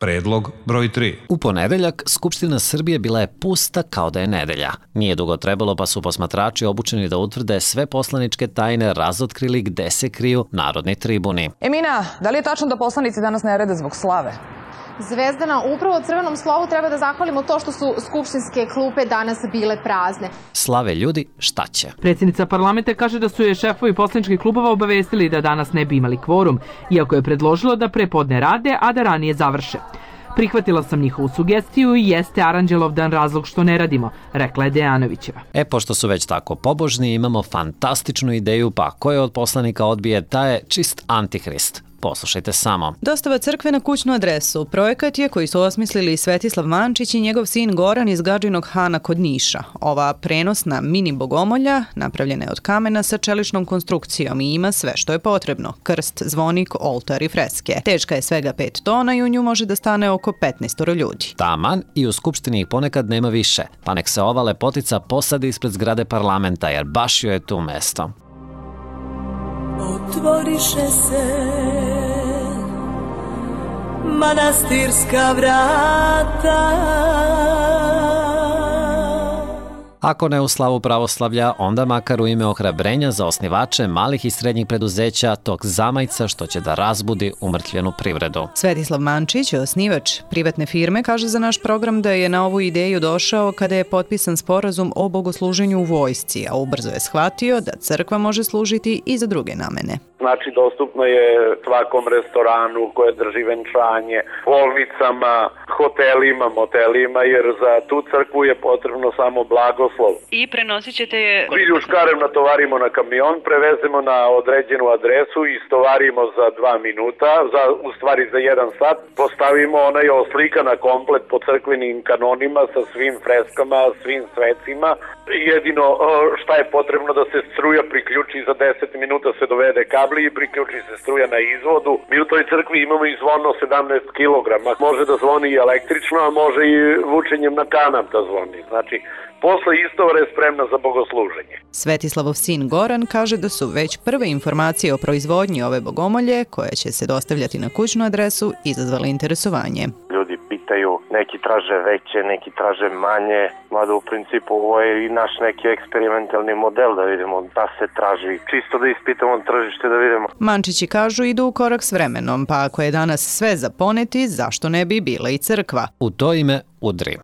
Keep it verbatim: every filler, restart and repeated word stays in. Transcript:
Predlog broj tri. U ponedeljak Skupština Srbije bila je pusta kao da je nedelja. Nije dugo trebalo pa su posmatrači obučeni da utvrde sve poslaničke tajne razotkrili gde se kriju narodni tribuni. Emina, da li je tačno da poslanici danas ne rade zbog slave? Zvezdana, upravo crvenom slovu treba da zahvalimo to što su skupštinske klupe danas bile prazne. Slave ljudi, šta će? Predsjednica parlamenta kaže da su je šefovi poslaničkih klubova obavestili da danas ne bi imali kvorum, iako je predložilo da prepodne rade, a da ranije završe. Prihvatila sam njihovu sugestiju i jeste Aranđelovdan razlog što ne radimo, rekla je Dejanovićeva. E, pošto su već tako pobožni, imamo fantastičnu ideju, pa ko je od poslanika odbije, taj je čist antihrist. Poslušajte samo. Dostava crkve na kućnu adresu. Projekat je koji su osmislili Svetislav Mančić i njegov sin Goran iz Gadžinog Hana kod Niša. Ova prenosna mini bogomolja napravljena je od kamena sa čeličnom konstrukcijom i ima sve što je potrebno. Krst, zvonik, oltar i freske. Teška je svega pet tona i u nju može da stane oko petnaest ljudi. Taman i u Skupštini ih ponekad nema više, pa nek se ova lepotica posadi ispred zgrade parlamenta, jer baš joj je tu mesto. Otvoriše se manastirska vrata. Ako ne u slavu pravoslavlja, onda makar u ime ohrabrenja za osnivače malih i srednjih preduzeća tog zamajca što će da razbudi umrtvljenu privredu. Svetislav Mančić, osnivač privatne firme, kaže za naš program da je na ovu ideju došao kada je potpisan sporazum o bogosluženju u vojsci, a ubrzo je shvatio da crkva može služiti i za druge namene. Znači, dostupno je svakom restoranu koje drži venčanje, bolnicama, hotelima, motelima, jer za tu crkvu je potrebno samo blagoslov. I prenosit ćete je... Bilju škarem natovarimo na kamion, prevezemo na određenu adresu i istovarimo za dva minuta, za, u stvari za jedan sat. Postavimo onaj oslikana komplet po crkvenim kanonima sa svim freskama, svim svecima. Jedino šta je potrebno da se struja priključi, za deset minuta se dovede kabli i priključi se struja na izvodu. Mi u toj crkvi imamo i zvono sedamnaest kilograma. Može da zvoni i električno, a može i vučenjem na kanap da zvoni. Znači, posle istovara je spremna za bogosluženje. Svetislavov sin Goran kaže da su već prve informacije o proizvodnji ove bogomolje, koje će se dostavljati na kućnu adresu, izazvale interesovanje. Ljudi pitaju, neki traže veće, neki traže manje, mada u principu ovo je i naš neki eksperimentalni model da vidimo da se traži, čisto da ispitamo tržište da vidimo. Mančići kažu idu u korak s vremenom, pa ako je danas sve za poneti, zašto ne bi bila i crkva? U to ime udri.